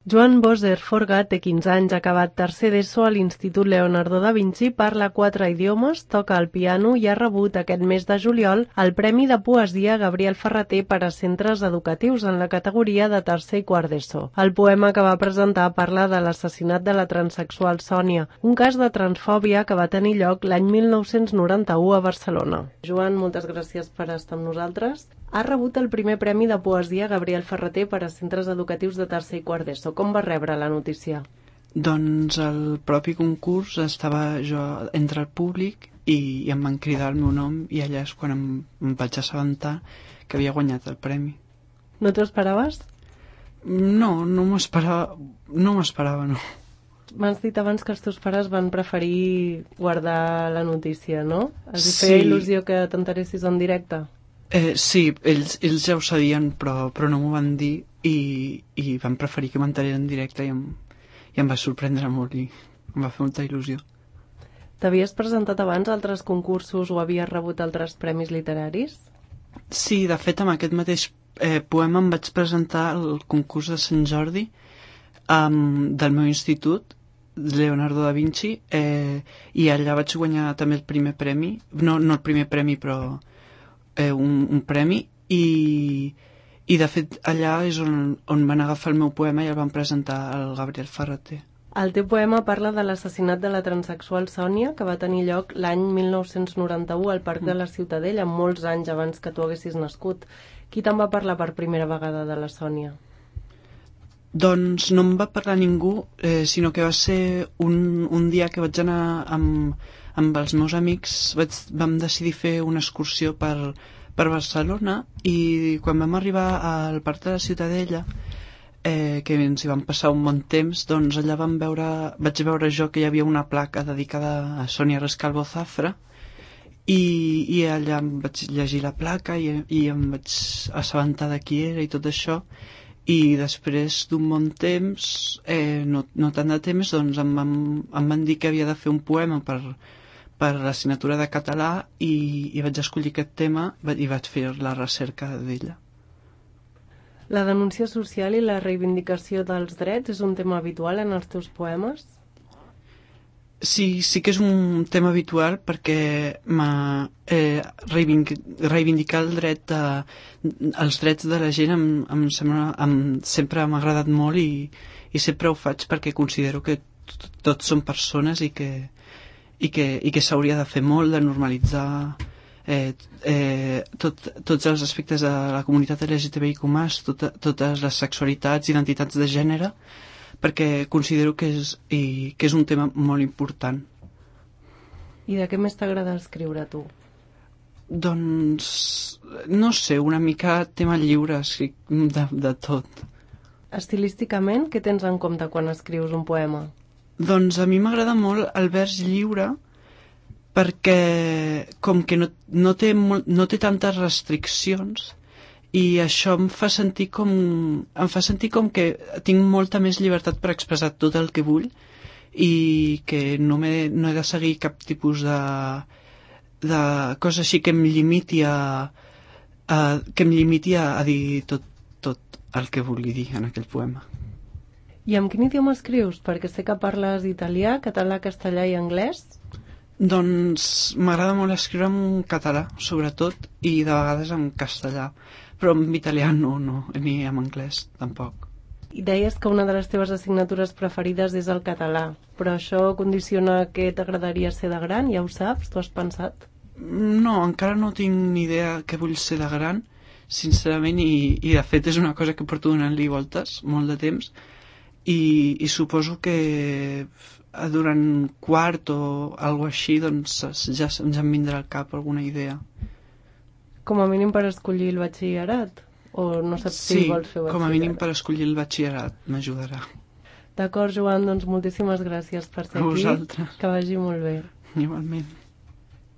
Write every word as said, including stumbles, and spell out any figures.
Joan Boser Forga té quinze anys, ha acabat tercer d'ESO a l'Institut Leonardo da Vinci, parla quatre idiomes, toca el piano i ha rebut aquest mes de juliol el Premi de Poesia Gabriel Ferrater per a centres educatius en la categoria de tercer i quart d'ESO. El poema que va presentar parla de l'assassinat de la transsexual Sònia, un cas de transfòbia que va tenir lloc l'any mil nou-cents noranta-u a Barcelona. Joan, moltes gràcies per estar amb nosaltres. Ha rebut el primer Premi de Poesia Gabriel Ferrater per a centres educatius de tercer i quart d'ESO. Com va rebre la notícia? Doncs el propi concurs estava jo entre el públic i, i em van cridar el meu nom i allà és quan em, em vaig assabentar que havia guanyat el premi. No t'ho esperaves? No, no m'ho esperava, no m'ho esperava, no. M'has dit abans que els teus pares van preferir guardar la notícia, no? Els feia Sí. il·lusió que t'enteressis en directe? Eh, sí, ells, ells ja ho sabien, però, però no m'ho van dir i, i van preferir que m'enterés en directe i em, i em va sorprendre molt i em va fer molta il·lusió. T'havies presentat abans a altres concursos o havies rebut altres premis literaris? Sí, de fet, amb aquest mateix eh, poema em vaig presentar al concurs de Sant Jordi um, del meu institut, Leonardo da Vinci, eh, i allà vaig guanyar també el primer premi, no, no el primer premi, però eh, un, un premi, i, i de fet allà és on, on van agafar el meu poema i el van presentar al Gabriel Ferrater. El teu poema parla de l'assassinat de la transsexual Sònia, que va tenir lloc l'any mil nou-cents noranta-u al Parc de la Ciutadella, molts anys abans que tu haguessis nascut. Qui te'n va parlar per primera vegada de la Sònia? Doncs no em va parlar ningú, eh, sinó que va ser un, un dia que vaig anar amb, amb els meus amics, vaig, vam decidir fer una excursió per, per Barcelona i quan vam arribar al Parc de la Ciutadella, eh, que ens hi vam passar un bon temps, doncs allà vam veure, vaig veure jo que hi havia una placa dedicada a Sònia Rescalvo Zafra i, i allà em vaig llegir la placa i, i em vaig assabentar de qui era i tot això. I després d'un bon temps, eh, no, no tant de temps, doncs em van, em van dir que havia de fer un poema per, per l'assignatura de català i, i vaig escollir aquest tema i vaig fer la recerca d'ella. La denúncia social i la reivindicació dels drets és un tema habitual en els teus poemes? Sí, sí que és un tema habitual perquè m'ha, eh, reivindicar el dret a, els drets de la gent em, em sembla, em, sempre m'ha agradat molt i, i sempre ho faig perquè considero que tots som persones i que, i que, i que s'hauria de fer molt, de normalitzar eh, eh, tot, tots els aspectes de la comunitat L G T B I Q més, tot, totes les sexualitats, identitats de gènere, perquè considero que és, i, que és un tema molt important. I de què més t'agrada escriure, tu? Doncs, no sé, una mica tema lliure, escric de, de tot. Estilísticament, què tens en compte quan escrius un poema? Doncs a mi m'agrada molt el vers lliure perquè com que no, no, té, molt, no té tantes restriccions i això em fa sentir com em fa sentir com que tinc molta més llibertat per expressar tot el que vull i que no, he, no he de seguir cap tipus de, de cosa així que em limiti a, a que em limiti a, a dir tot, tot el que vulgui dir en aquell poema. I amb quin idioma escrius? Perquè sé que parles italià, català, castellà i anglès. Doncs m'agrada molt escriure en català, sobretot, i de vegades en castellà. Però en italià no, no, ni en anglès tampoc. I deies que una de les teves assignatures preferides és el català, però això condiciona què t'agradaria ser de gran, ja ho saps? T'ho has pensat? No, encara no tinc ni idea què vull ser de gran, sincerament, i, i de fet és una cosa que porto donant-li voltes molt de temps, i, i suposo que durant quart o alguna així doncs ja ens en vindrà al cap alguna idea. Com a mínim per escollir el batxillerat? O no saps sí, si vols fer batxillerat? Sí, com a mínim per escollir el batxillerat m'ajudarà. D'acord, Joan, doncs moltíssimes gràcies per ser aquí. A vosaltres. Que vagi molt bé. Igualment.